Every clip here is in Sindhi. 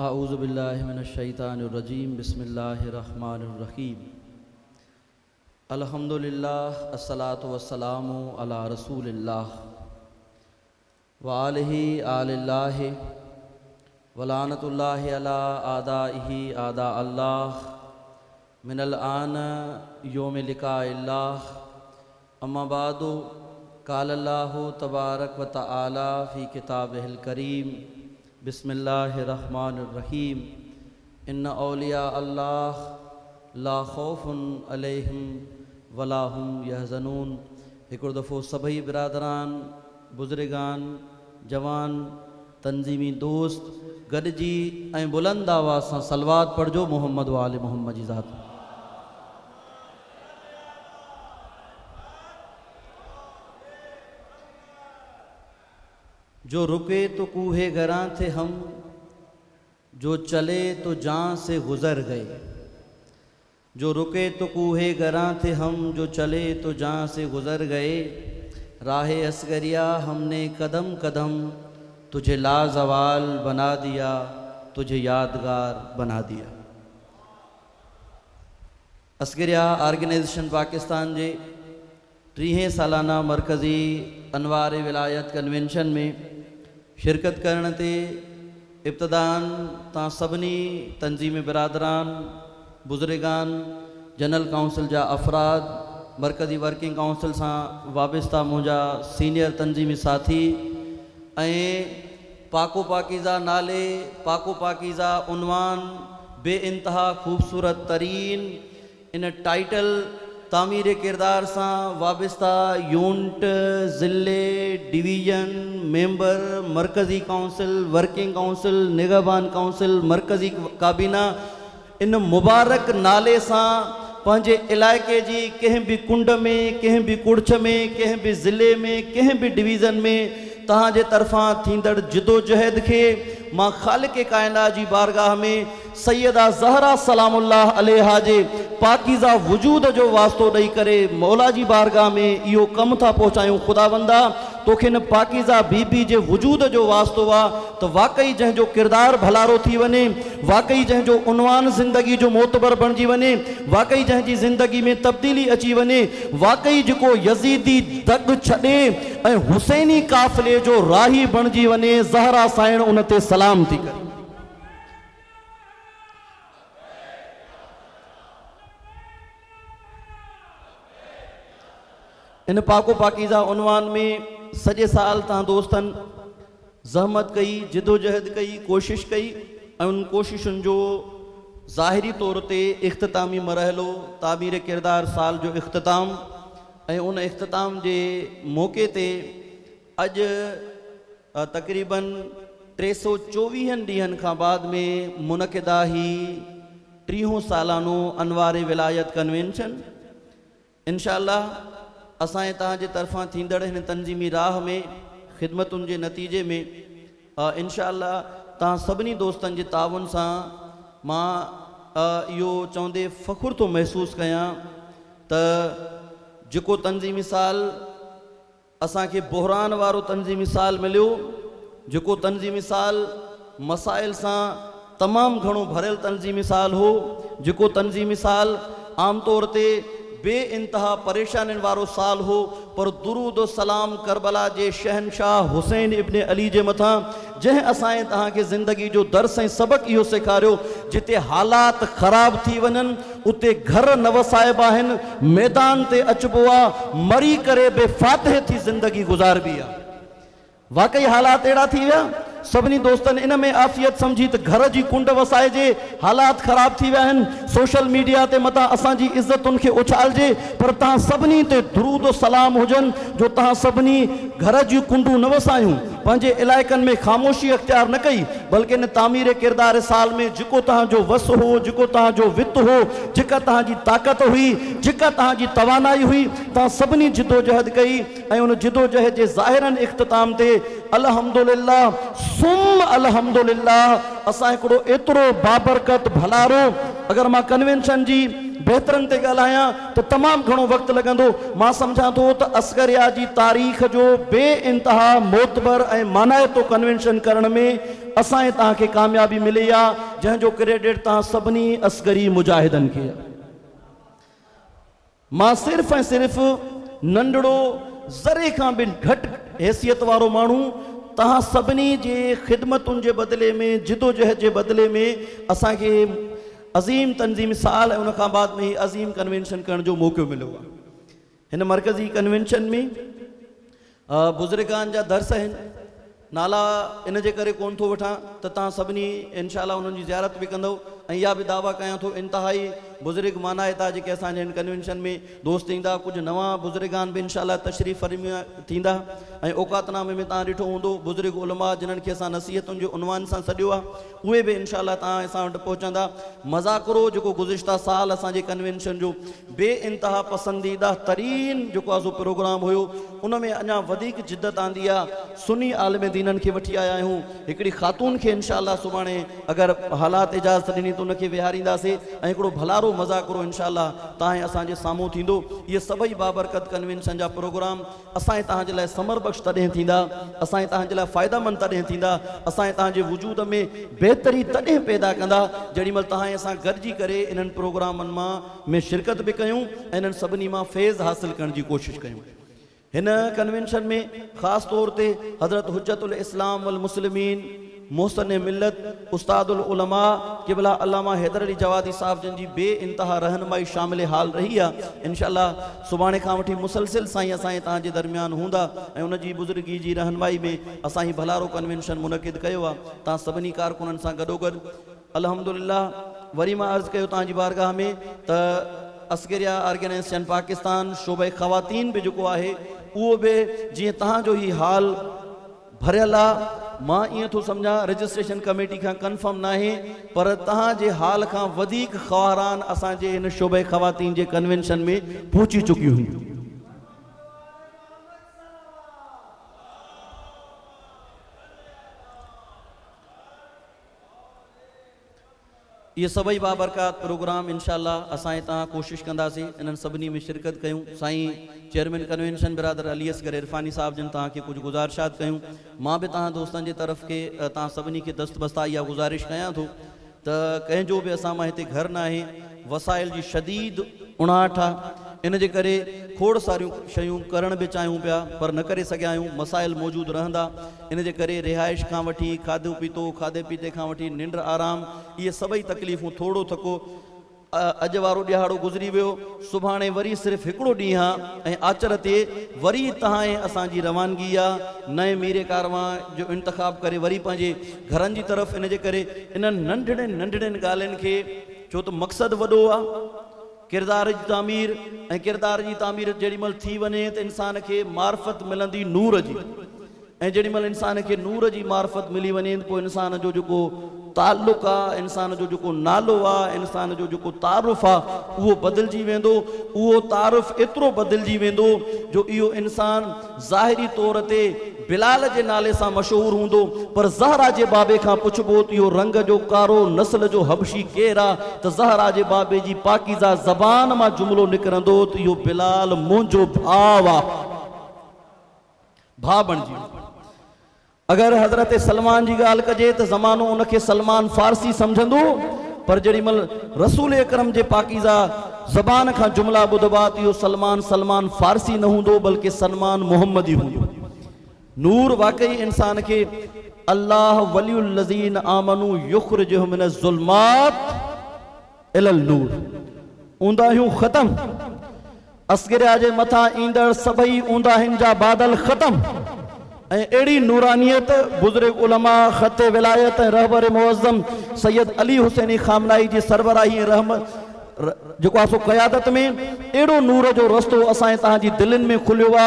اعوذ بالله من الشيطان الرجيم بسم الله الرحمن الرحيم الحمد لله الصلاة والسلام على رسول الله وآله آل الله ولعنة الله على اعدائه اعداء الله من الآن يوم لقاء الله اما بعد قال الله تبارڪ و تعالي في ڪتابه الڪريم بسم الله الرحمٰن الرحيم ان اولياء الله لا خوف عليهم ولا هم يحزنون هڪڙو دفعو سڀئي برادران، بزرگان، جوان، تنظيمي دوست گڏجي ۽ بلند آواز سان صلوات پڙهجو محمد و آل محمد جي ذات. جو رڪي تو ڪوهه گران ٿي هم، جو چلي تو جان سي گذر گئي. جو رڪي تو ڪوهه گران ٿي هم، جو چلي تو جان سي گذر گئي. راهه اصغريه هم ني قدم قدم، تجهي لازوال بنا ديا، تجهي يادگار بنا ديا. اصغريه آرگنائيزيشن پاڪستان جي ٽيهين سالانه مرڪزي انوار ولايت ڪنوينشن ۾ شرڪت ڪرڻ تي ابتداءً توهان سڀني تنظيمي برادران، بزرگان، جنرل ڪائونسل جا افراد، مرڪزي ورڪنگ ڪائونسل سان وابسته منهنجا سينيئر تنظيمي ساٿي ۽ پاڪ و پاڪيزه نالي، پاڪ و پاڪيزه عنوان، بي انتها خوبصورت ترين ان ٽائيٽل تعمير ڪردار سان وابسته يونٽ، ضلعي، ڊويزن، ميمبر، مرڪزي ڪائونسل، ورڪنگ ڪائونسل، نگهبان ڪائونسل، مرڪزي ڪابينا ان مبارڪ نالي سان پنهنجي علائقي جي ڪنهن به ڪنڊ ۾، ڪنهن به ڪڙڇ ۾، ڪنهن به ضلعي ۾، ڪنهن به ڊويزن ۾ توهان جي طرفان ٿيندڙ جدوجهد کي مان خالق ڪائنات جي بارگاهه ۾ سيده زهرا سلام الله عليها جي پاڪيزه وجود جو واسطو ڏئي ڪري مولا جي بارگاهه ۾ اهو ڪم ٿا پهچايون خداوندا توکي ان پاڪيزه بي بي جي وجود جو واسطو آ ته واقعي جنهن جو ڪردار ڀلارو ٿي وڃي واقعي جنهن جو عنوان زندگي جو معتبر بڻجي وڃي واقعي جنهن جي زندگي ۾ تبديلي اچي وڃي واقعي جيڪو يزيدي دڳ ڇڏي ۽ حسيني قافلي جو راهي بڻجي وڃي زهرا سائڻ ان تي سلام ٿي ڪري. ان پاڪ و پاڪيزه عنوان ۾ سڄي سال توهان دوستن زحمت ڪئي، جدوجهد ڪئي، ڪوشش ڪئي ۽ انهن ڪوششن جو ظاهري طور تي اختتامي مرحلو تعمير ڪردار سال جو اختتام ۽ ان اختتام جي موقعي تي اڄ تقريباً 324 ڏينهن کان بعد ۾ منعقده هي ٽيهون سالانو انوار ولايت ڪنوينشن انشاء الله اسان ۽ توهان جي طرفان ٿيندڙ هن تنظيمي راهه ۾ خدمتن جي نتيجي ۾ انشاء الله توهان سڀني دوستن جي تعاون سان مان اهو چوندي فخر ٿو محسوس ڪيان ته جيڪو تنظيمي سال اسان کي بحران وارو تنظيمي سال مليو، جيڪو تنظيمي سال مسائل سان تمام گهڻو ڀريل تنظيمي سال هو، جيڪو تنظيمي سال عام طور تي بي انتها پريشانين وارو سال هو، پر درود و سلام ڪربلا جي شهنشاهه حسين ابن علي جي مٿان، جنهن اسان ۽ توهان کي زندگي جو درس ۽ سبق اهو سيکاريو، جتي حالات خراب ٿي وڃن، اتي گهر نه وسائبا آهن، ميدان تي اچبو آ، مري ڪري به فاتح ٿي زندگي گذاربي آ. واقعي حالات اهڙا ٿي ويا، سڀني دوستن ان ۾ عافيت سمجهي ته گهر جي ڪنڊ وسائجي، حالات خراب ٿي ويا آهن، سوشل ميڊيا تي متان اسان جي عزتن کي اڇالجي، پر توهان سڀني تي درود و سلام هجن جو توهان سڀني گهر جون ڪنڊون نه وسايون، پنهنجي علائقن ۾ خاموشي اختيار نه ڪئي، بلڪه ان تعمير ڪردار سال ۾ جيڪو توهان جو وس هو، جيڪو توهان جو وت هو، جيڪا توهان جي طاقت هئي، جيڪا توهان جي توانائي هئي، توهان سڀني جدوجهد ڪئي ۽ ان جدوجهد جي ظاهراً اختتام تي الحمدلله ثم الحمدلله اسان هڪڙو ايترو بابرڪت ڀلارو اگر مان ڪنوينشن جي بهترن تي ڳالهايان ته تمام گهڻو وقت لڳندو. مان سمجهان ٿو ته اصغريه جي تاريخ جو بي انتها معتبر ۽ مانائتو ڪنوينشن ڪرڻ ۾ اسان ۽ توهان کي ڪاميابي ملي آ، جنهن جو ڪريڊٽ توهان سڀني اصغري مجاهدن کي آ. مان صرف ۽ صرف ننڍڙو ذري کان به گهٽ حيثيت وارو ماڻهو توهان سڀني جي خدمتن جي بدلي ۾ جدوجهد جي بدلي ۾ اسان کي عظيم تنظيمي سال ۽ ان کان بعد ۾ هي عظيم ڪنوينشن ڪرڻ جو موقعو مليو آهي. هن مرڪزي ڪنوينشن ۾ بزرگان جا درس آهن. نالا ان جي ڪري ڪونه ٿو وٺان ته توهان سڀني انشاء الله انهن جي زيارت به ڪندؤ ۽ اها به دعويٰ ڪيان ٿو انتهائي بزرگ مانائتا جيڪي اسان جي هن ڪنوينشن ۾ دوست ايندا ڪجهه نوان بزرگان به انشاء الله تشريف فرما ٿيندا ۽ اوقات نامي ۾ توهان ڏٺو هوندو بزرگ علماء جنهن کي اسان نصيحتن جي عنوان سان سڏيو آهي اهي به انشاء الله توهان اسان وٽ پهچندا. مذاڪرو جيڪو گذشته سال اسان جي ڪنوينشن جو بي انتها پسنديده ترين جيڪو آ سو پروگرام هيو ان ۾ اڃا وڌيڪ جدت آندي آ. سني عالم دينن کي وٺي آيا آهيون. هڪڙي خاتون کي انشاء الله سڀاڻي اگر حالات اجازت ڏني ته ان کي ويهارينداسي ۽ هڪڙو ڀلارو مذاڪرو انشاء الله توهان ۽ اسان جي سامهون ٿيندو. اهي سڀئي بابرڪت ڪنوينشن جا پروگرام اسان ۽ توهان جي لاء ثمر بخش تڏهن ٿيندا، اسان ۽ توهان جي لاء فائده مند تڏهن ٿيندا، اسان ۽ توهان جي وجود ۾ بهتري تڏهن پيدا ڪندا، جيڏي مهل توهان ۽ اسان گڏجي ڪري انهن پروگرامن مان ۾ شرڪت به ڪيون ۽ انهن سڀني مان فيض حاصل ڪرڻ جي ڪوشش ڪيون. هن ڪنوينشن ۾ خاص طور تي حضرت حجت الاسلام والمسلمين، محسن ملت، استاد العلماء قبله علامه حيدر علي جوادي صاحب جن جي بي انتها رهنمائي شامل حال رهي آ. انشاء الله سڀاڻي کان وٺي مسلسل سائين اسان ۽ توهان جي درميان هوندا ۽ ان جي بزرگي جي رهنمائي ۾ اسان هي ڀلارو ڪنوينشن منعقد ڪيو آ. توهان سڀني ڪارڪنن سان گڏوگڏ الحمدلله وري مان عرض ڪيو توهان جي بارگاهه ۾ ته اصغريه آرگنائيزيشن پاڪستان شعبه خواتين به جيڪو آهي اهو به جيئن توهان جو هي هال ڀريل آ، مان ائين ٿو سمجهان رجسٽريشن ڪميٽي کان ڪنفرم ناهي پر توهان جي هال کان وڌيڪ خواهران اسان جي هن شعبه خواتين جي ڪنوينشن ۾ پهچي چڪيون هيون. اهي سڀئي بابرڪات پروگرام انشاء الله اسان ۽ توهان ڪوشش ڪنداسين انهن سڀني ۾ شرڪت ڪيون. سائين چيئرمين ڪنوينشن برادر علي اصغر عرفاني صاحب جن توهان کي ڪجهه گذارشات ڪيون. مان به توهان دوستن جي طرف کي توهان سڀني کي دست بسته اها گذارش ڪيان ٿو ته ڪنهن جو به اسان مان هتي گهر ناهي وسائل جي شديد اڻاٺ آ ان جي ڪري کوڙ ساريون شيون ڪرڻ به چاهيون پيا پر نه ڪري سگهيا آهيون مسائل موجود رهندا ان جي ڪري رهائش کان وٺي کاڌو پيتو، کاڌي پيتي کان وٺي ننڊ آرام، اهي سڀئي تڪليفون ٿورڙو ٿڪو اڄ وارو ڏهاڙو گذري ويو، سڀاڻي وري صرف هڪڙو ڏينهن آ ۽ آچر تي وري تهان ۽ اسان جي روانگي آ، نئين ميري ڪاروان جو انتخاب ڪري وري پنهنجي گهرن جي طرف، ان جي ڪري انهن ننڍڙين ننڍڙين ڳالهين کي ڇو ته مقصد وڏو آ. ڪردار جي تعمير ۽ ڪردار جي تعمير جيڏي مهل ٿي وڃي ته انسان کي معرفت ملندي نور جي ۽ جيڏي مهل انسان کي نور جي معرفت ملي وڃي ته پوء انسان جو جيڪو تعلق آ انسان جو جيڪو نالو آ انسان جو جيڪو تعارف آ اهو بدلجي ويندو اهو تعارف ايترو بدلجي ويندو جو اهو انسان ظاهري طور تي بلال جي نالي سان مشهور هوندو، پر زهرا جي بابي کان پڇبو ته اهو رنگ جو ڪارو نسل جو حبشي ڪير آ ته زهرا جي بابي جي پاڪيزه زبان مان جملو نڪرندو ته اهو بلال منهنجو ڀاء آ. ڀاء بڻجي ويندو. اگر حضرت سلمان جي ڳالهه ڪجي ته زمانو ان کي سلمان فارسي سمجهندو پر جيڏي مهل رسول اڪرم جي پاڪيزه زبان کان جملا ٻڌبا ته اهو سلمان سلمان فارسي نه هوندو بلڪه سلمان محمدي هوندو. نور واقعي انسان کي الله ولي الذين آمنوا يخرجهم من الظلمات الي النور اونداهيون ختم اصغريا جي مٿان ايندڙ سڀئي اونداهين جا بادل ختم ۽ اهڙي نورانيت بزرگ علماء خط ولايت ۽ رهبر معظم سيد علي حسيني خامنائي جي سربراهي ۽ رحم جيڪو آ سو قيادت ۾ اهڙو نور جو رستو اسان ۽ توهان جي دلين ۾ کليو آ،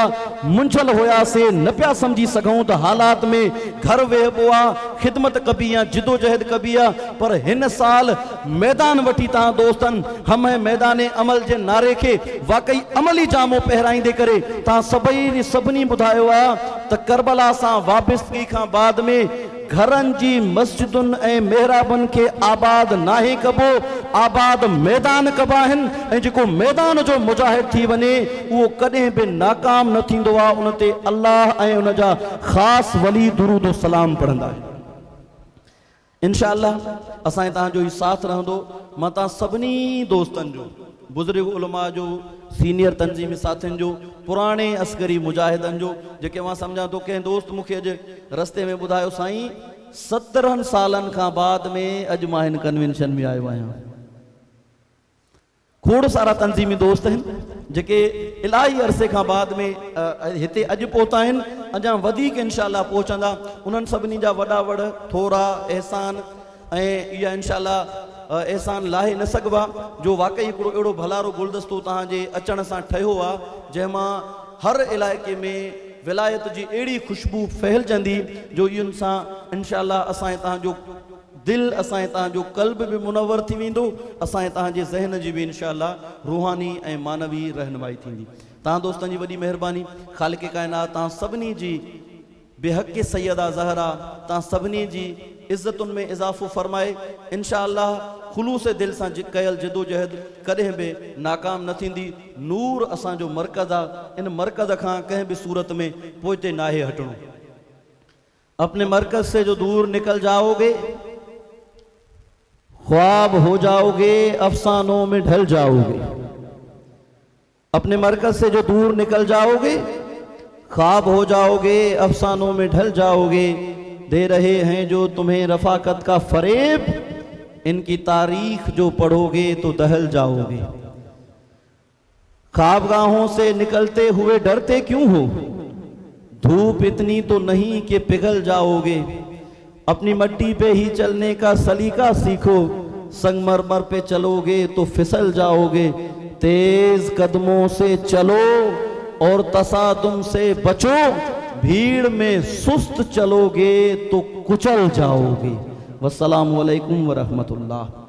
منجهيل هياسي، نه پيا سمجهي سگهون ته حالات ۾ گهر ويهبو آ، خدمت ڪبي يا جدوجهد ڪبي آ، پر هن سال ميدان وٺي توهان دوستن همه ميدان عمل جي نعري کي واقعي عملي جامو پهرائيندي ڪري توهان سڀئي سڀني ٻڌايو آ ته ڪربلا سان وابستگي کان بعد ۾ گهرن جي مسجدن ۽ محرابن کي آباد ناهي ڪبو آباد ميدان ڪبا آهن ۽ جيڪو ميدان جو مجاهد ٿي وڃي اهو ڪڏهن به ناڪام نه ٿيندو آهي ان تي الله ۽ ان جا خاص ولي درود و سلام پڙهندا آهن. انشاء الله اسان ۽ توهان جو هي ساٿ رهندو مان توهان سڀني دوستن جو بزرگ علماء جو سينيئر تنظيمي ساٿين جو پراڻي عسڪري مجاهدن جو جيڪي مان سمجهان ٿو ڪنهن دوست مون کي اڄ رستي ۾ ٻڌايو سائين 17 سالن کان بعد ۾ اڄ مان هن ڪنوينشن ۾ آيو آهيان. کوڙ سارا تنظيمي دوست آهن جيڪي الاهي عرصي کان بعد ۾ هتي اڄ پهتا آهن اڃا وڌيڪ انشاء الله پهچندا انهن سڀني جا وڏا وڙ ٿورا احسان ۽ اها انشاء الله احسان لاهي نه سگهبا جو واقعي هڪڙو اهڙو ڀلارو گلدستو توهان جي اچڻ سان ٺهيو آ جنهن مان هر علائقي ۾ ولايت جي اهڙي خوشبو ڦهلجندي جو ان سان انشاء الله اسان ۽ توهان جو دل اسان ۽ توهان جو قلب به منور ٿي ويندو اسان ۽ توهان جي ذهن جي به انشاء الله روحاني ۽ معنوي رهنمائي ٿيندي توهان دوستن جي وڏي مهرباني خالق ڪائنات توهان سڀني جي بحق سيده زهرا توهان سڀني جي عزتن ۾ اضافو فرمائي انشاء الله خلوص دل سان ڪيل جدوجهد ڪڏهن به ناڪام نه ٿيندي نور اسان جو مرڪز آ ان مرڪز کان ڪنهن به صورت ۾ پوئتي ناهي هٽڻو اپني مرڪز سي جو دور نڪل جائوگي خواب هو جائوگي افسانون ۾ ڍل جائوگي اپني مرڪز سي جو دور نڪل جائوگي خواب هو جائوگي افسانون ۾ ڍل جائوگي the رهي هين جو تمهين رفاقت ڪا فريب ان ڪي تاريخ جو پڙهوگي تو دهل جائوگي خوابگاهون سي نڪلتي هوئي ڊرتي ڪيون هو ڌوپ اتني تو نهين ڪي پگهل جائوگي اپني مٽي پي هي چلني ڪا سليقه سيکو سنگ مرمر پي چلوگي تو ڦسل جائوگي تيز قدمون سي چلو اور تصادم سي بچو ڀيڙ ۾ سست چلوگي تو ڪچل جائوگي والسلام عليڪم ورحمة الله.